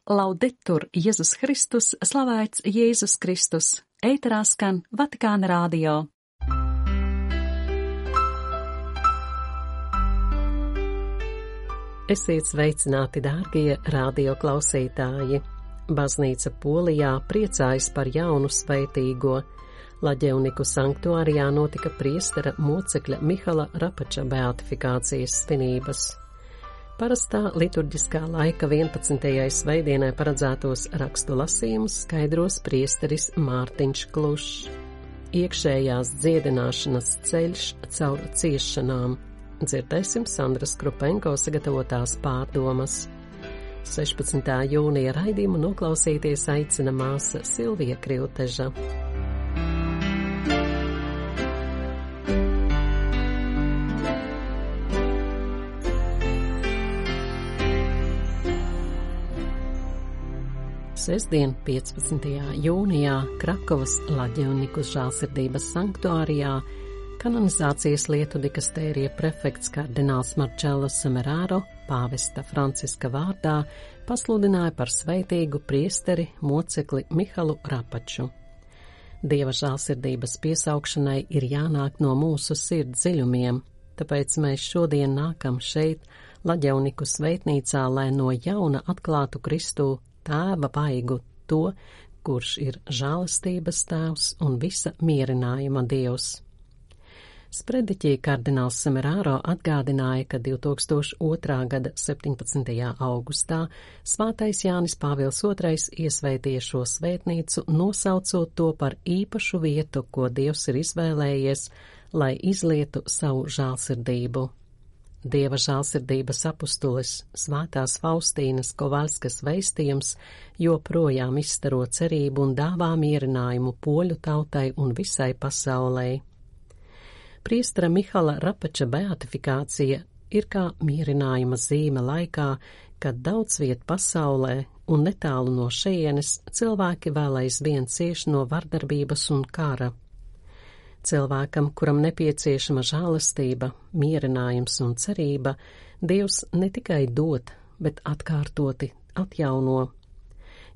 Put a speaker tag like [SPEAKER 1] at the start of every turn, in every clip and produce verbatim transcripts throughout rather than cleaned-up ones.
[SPEAKER 1] Laudetur Jēzus Kristus, slavēts Jēzus Kristus, ēterā skan Vatikāna radio.
[SPEAKER 2] Esiet sveicināti, dārgie radio klausītāji! Baznīca Polijā priecājas par jaunu svētīgo. Laģevniku sanktuārijā notika priestera mocekļa Mihala Rapača beatifikācijas svinības. Parastā liturģiskā laika vienpadsmitajai svētdienai paredzētos rakstu lasījumus skaidros priesteris Mārtiņš Klušs. Iekšējās dziedināšanas ceļš caur ciešanām. Dzirdēsim Sandras Krupenko sagatavotās pārdomas. sešpadsmitā jūnija raidījumu noklausīties aicina māsa Silvija Krilteža. Sestdien, piecpadsmitajā jūnijā, Krakovas Laģevniku žēlsirdības sanktuārijā kanonizācijas lietu dikastērija prefekts kardināls Marcello Semeraro pāvesta Franciska vārdā pasludināja par svētīgu priesteri mocekli Mihalu Rapaču. Dieva žēlsirdības piesaukšanai ir jānāk no mūsu sirds dziļumiem, tāpēc mēs šodien nākam šeit, Laģevniku svētnīcā, lai no jauna atklātu Kristu Tēva vaigu, to, kurš ir žēlastības tēvs un visa mierinājuma Dievs. Sprediķī kardināls Semeraro atgādināja, ka divi tūkstoši otrā gada septiņpadsmitajā augustā Svētais Jānis Pāvils otrais iesvētīja šo svētnīcu, nosaucot to par īpašu vietu, ko Dievs ir izvēlējies, lai izlietu savu žēlsirdību. Dieva žēlsirdības apustulis Svētās Faustīnas Kovaļskas vēstījums joprojām izstaro cerību un dāvā mierinājumu poļu tautai un visai pasaulē. Priestera Mihala Rapača beatifikācija ir kā mierinājuma zīme laikā, kad daudz viet pasaulē un netālu no šejienes cilvēki vēl aizvien cieš no vardarbības un kara. Cilvēkam, kuram nepieciešama žēlastība, mierinājums un cerība, Dievs ne tikai dod, bet atkārtoti atjauno.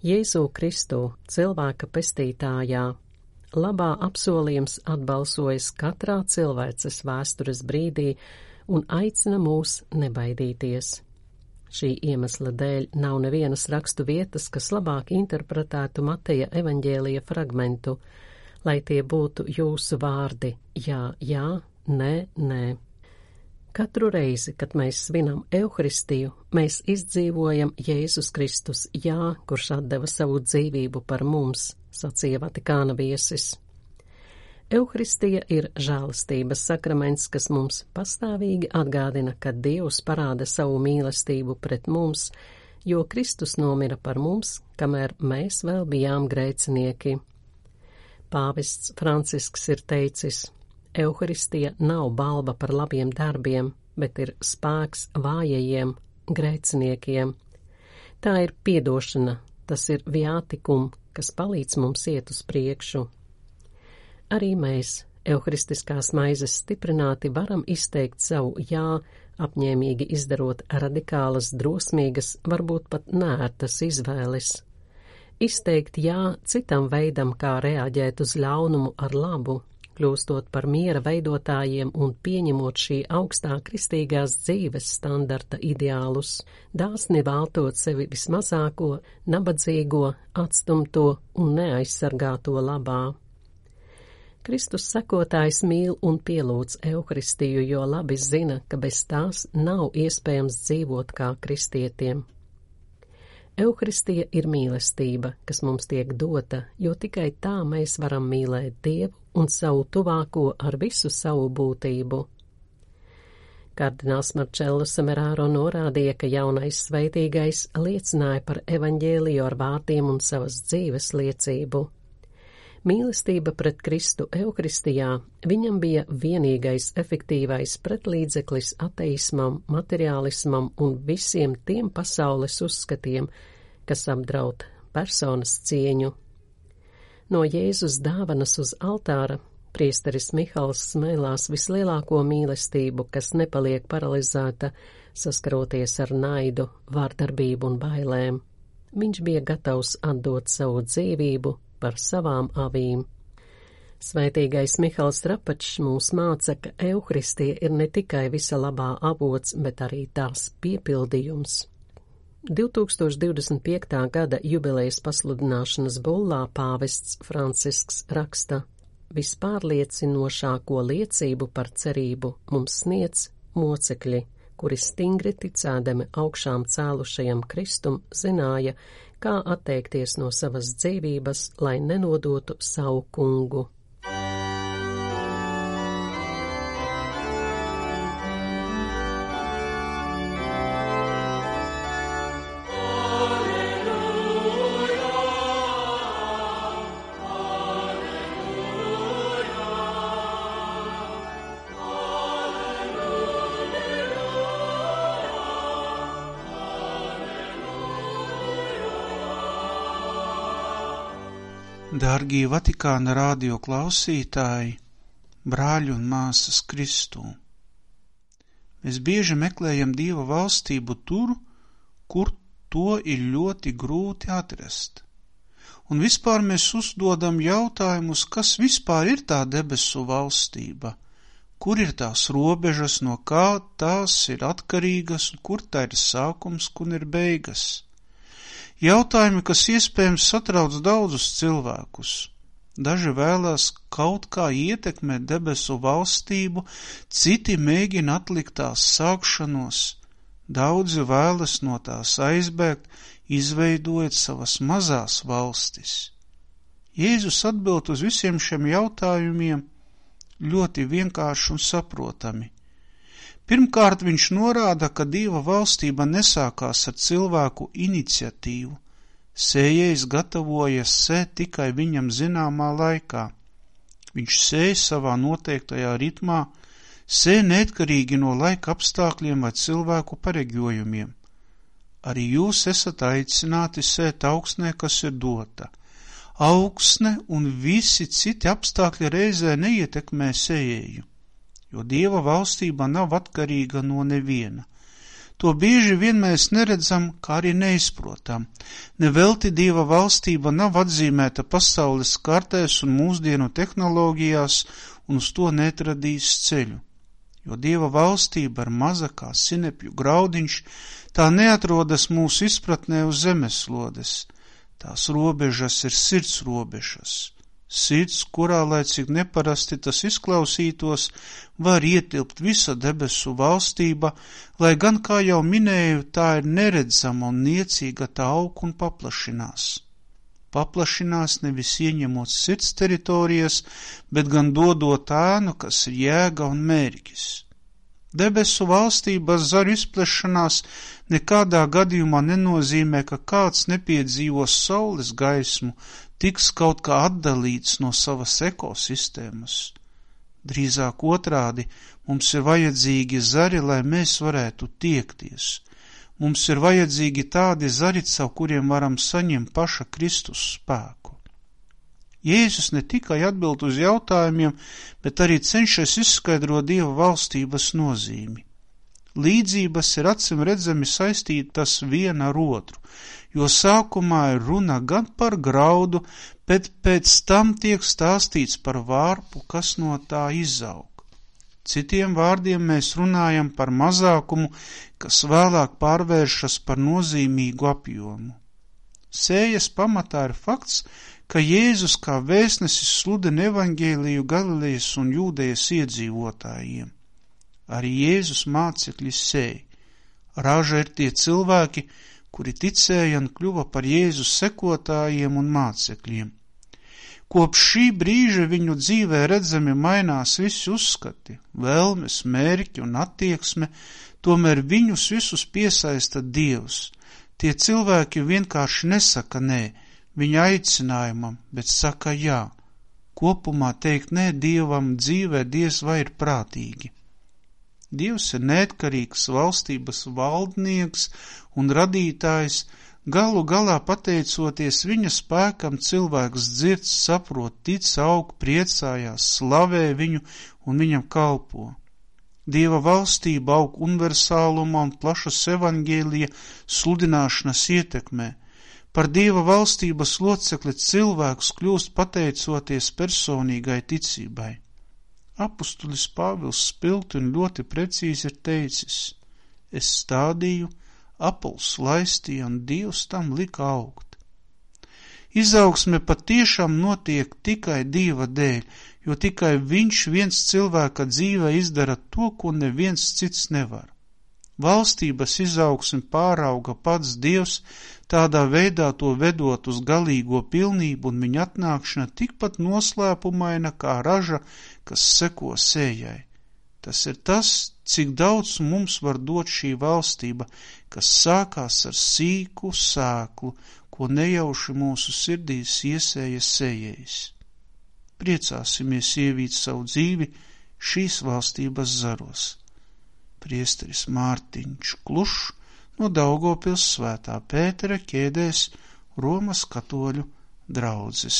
[SPEAKER 2] Jēzu Kristu, cilvēka pestītājā, labā apsolījums atbalsojas katrā cilvēces vēstures brīdī un aicina mūs nebaidīties. Šī iemesla dēļ nav nevienas rakstu vietas, kas labāk interpretētu Mateja evaņģēlija fragmentu, lai tie būtu jūsu vārdi, jā, jā, nē, nē. Katru reizi, kad mēs svinam Euharistiju, mēs izdzīvojam Jēzus Kristus, jā, kurš atdeva savu dzīvību par mums, sacīja Vatikāna viesis. Euharistija ir žēlastības sakraments, kas mums pastāvīgi atgādina, ka Dievs parāda savu mīlestību pret mums, jo Kristus nomira par mums, kamēr mēs vēl bijām grēcinieki. Pāvests Francisks ir teicis, Euharistija nav balva par labiem darbiem, bet ir spēks vājajiem, grēciniekiem. Tā ir piedošana, tas ir viātikum, kas palīdz mums iet uz priekšu. Arī mēs, euharistiskās maizes stiprināti, varam izteikt savu jā, apņēmīgi izdarot radikālas, drosmīgas, varbūt pat nērtas izvēles. Izteikt jā citam veidam, kā reaģēt uz ļaunumu ar labu, kļūstot par miera veidotājiem un pieņemot šī augstā kristīgās dzīves standarta ideālus, dāsni veltot sevi vismazāko, nabadzīgo, atstumto un neaizsargāto labā. Kristus sekotājs mīl un pielūdz Euharistiju, jo labi zina, ka bez tās nav iespējams dzīvot kā kristietiem. Euharistija ir mīlestība, kas mums tiek dota, jo tikai tā mēs varam mīlēt Dievu un savu tuvāko ar visu savu būtību. Kardināls Marcello Semeraro norādīja, ka jaunais svētīgais liecināja par evaņģēliju ar vārdiem un savas dzīves liecību. Mīlestība pret Kristu Euharistijā viņam bija vienīgais efektīvais pretlīdzeklis ateismam, materiālismam un visiem tiem pasaules uzskatiem, kas apdraud personas cieņu. No Jēzus dāvanas uz altāra priesteris Mihals smēlās vislielāko mīlestību, kas nepaliek paralizēta, saskaroties ar naidu, vārdarbību un bailēm. Viņš bija gatavs atdot savu dzīvību par savām avīm. Svētīgais Mihals Trapačs mūs māca, ka Euharistija ir ne tikai visa labā avots, bet arī tās piepildījums. divtūkstoš divdesmit piektā gada jubilejas pasludināšanas bullā pāvests Francisks raksta: vispārliecinošāko liecību par cerību mums sniedz mocekļi, kuri stingri ticēdami augšām cēlušajam Kristum zināja, kā atteikties no savas dzīvības, lai nenodotu savu kungu.
[SPEAKER 3] Dārgie Vatikāna radio klausītāji, brāļi un māsas Kristū, mēs bieži meklējam Dieva valstību tur, kur to ir ļoti grūti atrast. Un vispār mēs uzdodam jautājumus, kas vispār ir tā debesu valstība, kur ir tās robežas, no kā tās ir atkarīgas, un kur tā ir sākums, kur ir beigas. Jautājumi, kas iespējams satrauc daudzus cilvēkus. Daži vēlās kaut kā ietekmēt debesu valstību, citi mēģina atlikt tās sākšanos, daudzi vēlas no tās aizbēgt, izveidojot savas mazās valstis. Jēzus atbild uz visiem šiem jautājumiem ļoti vienkārši un saprotami. Pirmkārt, viņš norāda, ka Dieva valstība nesākās ar cilvēku iniciatīvu. Sējējs gatavojas sēt tikai viņam zināmā laikā. Viņš sēj savā noteiktajā ritmā, sēj neatkarīgi no laika apstākļiem vai cilvēku pareģojumiem. Arī jūs esat aicināti sēt augsnē, kas ir dota. Augsne un visi citi apstākļi reizē neietekmē sējēju, jo Dieva valstība nav atkarīga no neviena. To bieži vien mēs neredzam, kā arī neizprotam. Nevelti Dieva valstība nav atzīmēta pasaules kartēs un mūsdienu tehnoloģijās, un uz to netradīs ceļu. Jo Dieva valstība ir maza kā sinepju graudiņš, tā neatrodas mūsu izpratnē uz zemeslodes. Tās robežas ir sirds robežas. Sirds, kurā, lai cik neparasti tas izklausītos, var ietilpt visa debesu valstība, lai gan, kā jau minēju, tā ir neredzama un niecīga, tā aug un paplašinās. Paplašinās nevis ieņemot sirds teritorijas, bet gan dodot ēnu, kas ir jēga un mērķis. Debesu valstības zaru izplešanās nekādā gadījumā nenozīmē, ka kāds nepiedzīvos saules gaismu, tiks kaut kā atdalīts no savas ekosistēmas. Drīzāk otrādi, mums ir vajadzīgi zari, lai mēs varētu tiekties. Mums ir vajadzīgi tādi zari, caur kuriem varam saņemt paša Kristus spēku. Jēzus ne tikai atbild uz jautājumiem, bet arī cenšas izskaidrot Dieva valstības nozīmi. Līdzības ir acim redzami saistītas viena ar otru, jo sākumā ir runa gan par graudu, bet pēc tam tiek stāstīts par vārpu, kas no tā izaug. Citiem vārdiem mēs runājam par mazākumu, kas vēlāk pārvēršas par nozīmīgu apjomu. Sējas pamatā ir fakts, ka Jēzus kā vēstnesis sludina evaņģēliju Galilejas un Jūdejas iedzīvotājiem. Arī Jēzus mācekļi sēj. Raža ir tie cilvēki, kuri ticēja un kļuva par Jēzus sekotājiem un mācekļiem. Kopš šī brīža viņu dzīvē redzami mainās visi uzskati, vēlmes, mērķi un attieksme, tomēr viņus visus piesaista Dievs. Tie cilvēki vienkārši nesaka nē viņa aicinājumam, bet saka jā. Kopumā teikt nē Dievam dzīvē diez vai ir prātīgi. Dievs ir neatkarīgs valstības valdnieks un radītājs, galu galā pateicoties viņa spēkam cilvēks dzird, saprot, tic, aug, priecājās, slavē viņu un viņam kalpo. Dieva valstība aug universālumā un plašas evaņģēlija sludināšanas ietekmē. Par Dieva valstības locekli cilvēks kļūst pateicoties personīgai ticībai. Apustulis Pāvils spilgti un ļoti precīzi ir teicis: es stādīju, Apols laistīja un Dievs tam lika augt. Izaugsme patiešām notiek tikai Dieva dēļ, jo tikai viņš viens cilvēka dzīvē izdara to, ko neviens cits nevar. Valstības izaugsmi pārauga pats Dievs, tādā veidā to vedot uz galīgo pilnību, un viņa atnākšana tikpat noslēpumaina kā raža, kas seko sējai. Tas ir tas, cik daudz mums var dot šī valstība, kas sākās ar sīku sēklu, ko nejauši mūsu sirdīs iesēja sējējs. Priecāsimies ievīt savu dzīvi šīs valstības zaros. Priesteris Mārtiņš Klušs no Daugavpils Svētā Pētera ķēdēs, Romas katoļu draudzes.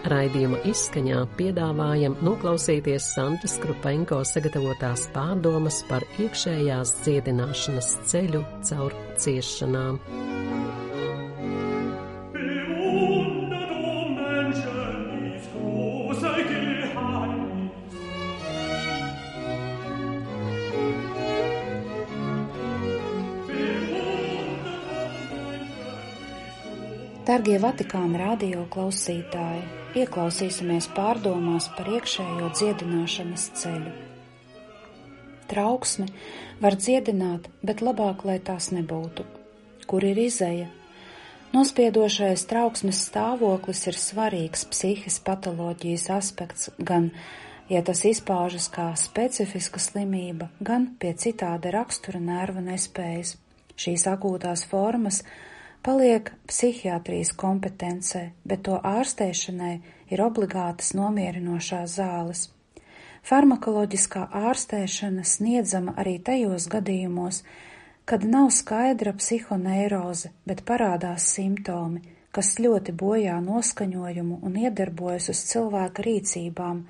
[SPEAKER 2] Raidījuma izskaņā piedāvājam noklausīties Sandras Krupenko sagatavotās pārdomas par iekšējās dziedināšanas ceļu caur ciešanām.
[SPEAKER 4] Dargie Vatikāna radio klausītāji, ieklausīsimies pārdomās par iekšējo dziedināšanas ceļu. Trauksmi var dziedināt, bet labāk, lai tās nebūtu. Kur ir izeja? Nospiedošais trauksmes stāvoklis ir svarīgs psihes patoloģijas aspekts, gan, ja tas izpaužas kā specifiska slimība, gan pie citāda rakstura nervu nespējas. Šīs akūtās formas paliek psihiatrijas kompetencē, bet to ārstēšanai ir obligātas nomierinošās zāles. Farmakoloģiskā ārstēšana sniedzama arī tajos gadījumos, kad nav skaidra psihoneiroze, bet parādās simptomi, kas ļoti bojā noskaņojumu un iedarbojas uz cilvēka rīcībām,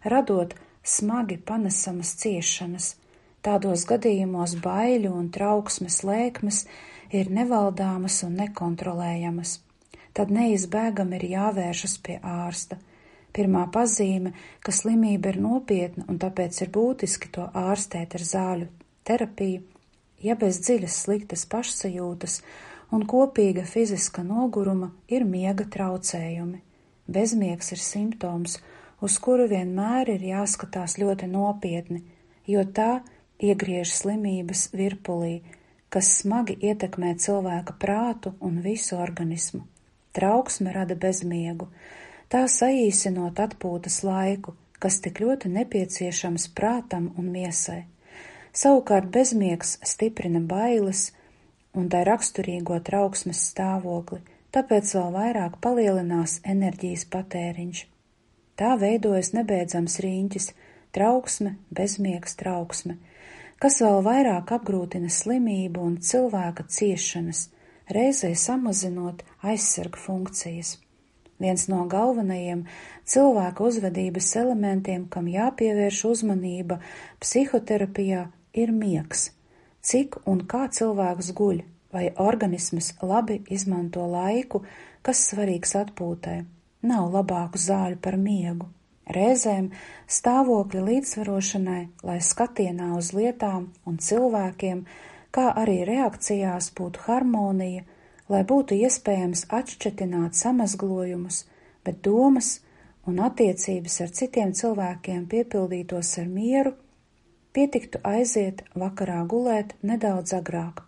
[SPEAKER 4] radot smagi panesamas ciešanas. Tādos gadījumos baiļu un trauksmes lēkmes ir nevaldāmas un nekontrolējamas. Tad neizbēgami ir jāvēršas pie ārsta. Pirmā pazīme, ka slimība ir nopietna un tāpēc ir būtiski to ārstēt ar zāļu terapiju, ja bez dziļas sliktas pašsajūtas un kopīga fiziska noguruma ir miega traucējumi. Bezmiegs ir simptoms, uz kuru vienmēr ir jāskatās ļoti nopietni, jo tā iegriež slimības virpulī, kas smagi ietekmē cilvēka prātu un visu organismu. Trauksme rada bezmiegu, tā saīsinot atpūtas laiku, kas tik ļoti nepieciešams prātam un miesai. Savukārt bezmiegs stiprina bailes un tai raksturīgo trauksmes stāvokli, tāpēc vēl vairāk palielinās enerģijas patēriņš. Tā veidojas nebeidzams riņķis, trauksme, bezmiegs, trauksme, kas vēl vairāk apgrūtina slimību un cilvēka ciešanas, reizē samazinot aizsarga funkcijas. Viens no galvenajiem cilvēka uzvedības elementiem, kam jāpievērš uzmanība psihoterapijā, ir miegs. Cik un kā cilvēks guļ, vai organisms labi izmanto laiku, kas svarīgs atpūtai. Nav labāku zāļu par miegu. Reizēm stāvokļa līdzsvarošanai, lai skatienā uz lietām un cilvēkiem, kā arī reakcijās būtu harmonija, lai būtu iespējams atšķetināt samazglojumus, bet domas un attiecības ar citiem cilvēkiem piepildītos ar mieru, pietiktu aiziet vakarā gulēt nedaudz agrāk.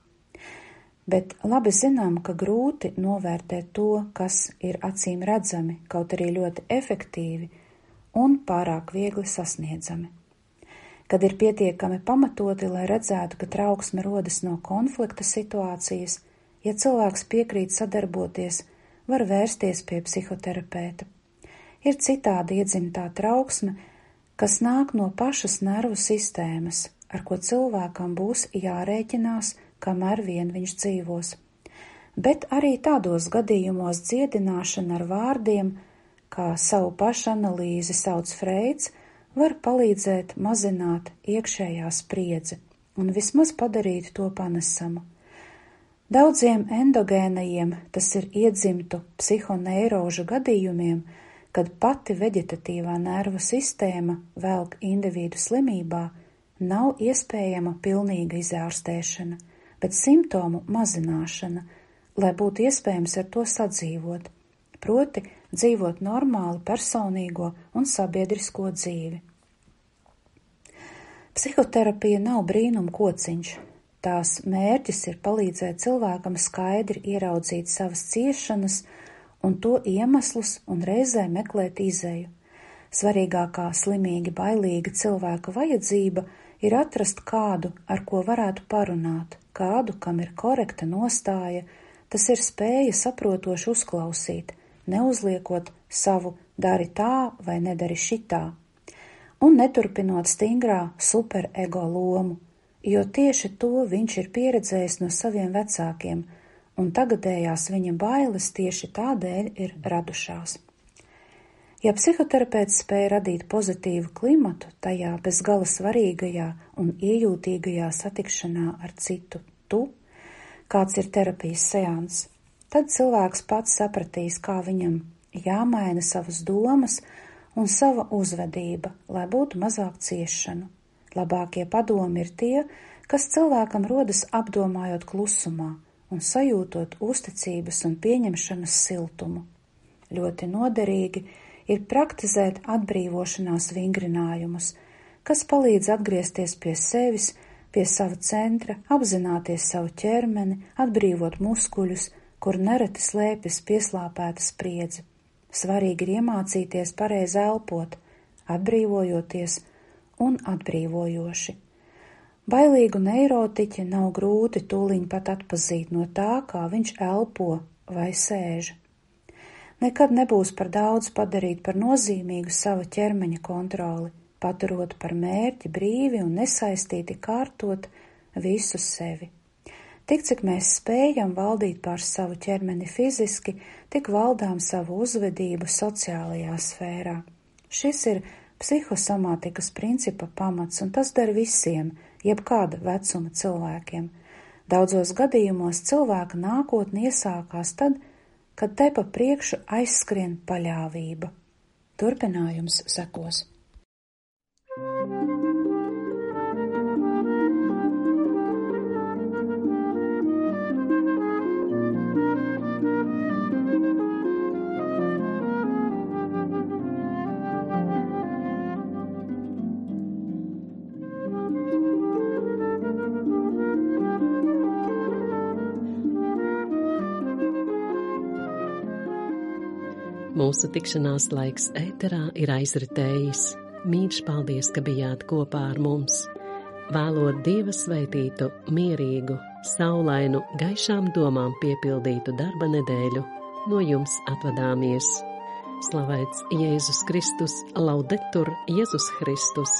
[SPEAKER 4] Bet labi zinām, ka grūti novērtēt to, kas ir acīm redzami, kaut arī ļoti efektīvi un pārāk viegli sasniedzami. Kad ir pietiekami pamatoti, lai redzētu, ka trauksme rodas no konflikta situācijas, ja cilvēks piekrīt sadarboties, var vērsties pie psihoterapeita. Ir citādi iedzimtā trauksme, kas nāk no pašas nervu sistēmas, ar ko cilvēkam būs jārēķinās, kamēr vien viņš dzīvos. Bet arī tādos gadījumos dziedināšana ar vārdiem, kā savu pašanalīzi sauc Freids, var palīdzēt mazināt iekšējā spriedzi un vismaz padarīt to panesamu. Daudziem endogēnajiem, tas ir iedzimtu psihoneirožu gadījumiem, kad pati veģetatīvā nervu sistēma velk individu slimībā, nav iespējama pilnīga izārstēšana, bet simptomu mazināšana, lai būtu iespējams ar to sadzīvot, proti dzīvot normālu personīgo un sabiedrisko dzīvi. Psihoterapija nav brīnum kociņš. Tās mērķis ir palīdzēt cilvēkam skaidri ieraudzīt savas ciešanas un to iemeslus un reizē meklēt izeju. Svarīgākā slimīgi bailīga cilvēka vajadzība ir atrast kādu, ar ko varētu parunāt, kādu, kam ir korekta nostāja, tas ir spēja saprotoši uzklausīt, neuzliekot savu dari tā vai nedari šitā, un neturpinot stingrā superego lomu, jo tieši to viņš ir pieredzējis no saviem vecākiem, un tagadējās viņa bailes tieši tādēļ ir radušās. Ja psihoterapeits spēja radīt pozitīvu klimatu tajā bezgala svarīgajā un iejūtīgajā satikšanā ar citu tu, kāds ir terapijas seans, tad cilvēks pats sapratīs, kā viņam jāmaina savas domas un sava uzvedība, lai būtu mazāk ciešanu. Labākie padomi ir tie, kas cilvēkam rodas apdomājot klusumā un sajūtot uzticības un pieņemšanas siltumu. Ļoti noderīgi ir praktizēt atbrīvošanās vingrinājumus, kas palīdz atgriezties pie sevis, pie sava centra, apzināties savu ķermeni, atbrīvot muskuļus, kur nereti slēpjas pieslāpēta spriedzi. Svarīgi ir iemācīties pareizi elpot, atbrīvojoties un atbrīvojoši. Bailīgu neirotiķi nav grūti tūliņ pat atpazīt no tā, kā viņš elpo vai sēž. Nekad nebūs par daudz padarīt par nozīmīgu sava ķermeņa kontroli, paturot par mērķi brīvi un nesaistīti kārtot visu sevi. Tik, cik mēs spējam valdīt pār savu ķermeni fiziski, tik valdām savu uzvedību sociālajā sfērā. Šis ir psihosomātikas principa pamats, un tas der visiem, jebkāda vecuma cilvēkiem. Daudzos gadījumos cilvēka nākotne iesākās tad, kad te pa priekšu aizskrien paļāvība. Turpinājums sekos.
[SPEAKER 2] Mūsu tikšanās laiks ēterā ir aizritējis. Mīļš paldies, ka bijāt kopā ar mums. Vēlot Dieva sveitītu, mierīgu, saulainu, gaišām domām piepildītu darba nedēļu, no jums atvadāmies. Slavēts Jēzus Kristus, laudetur Jēzus Kristus!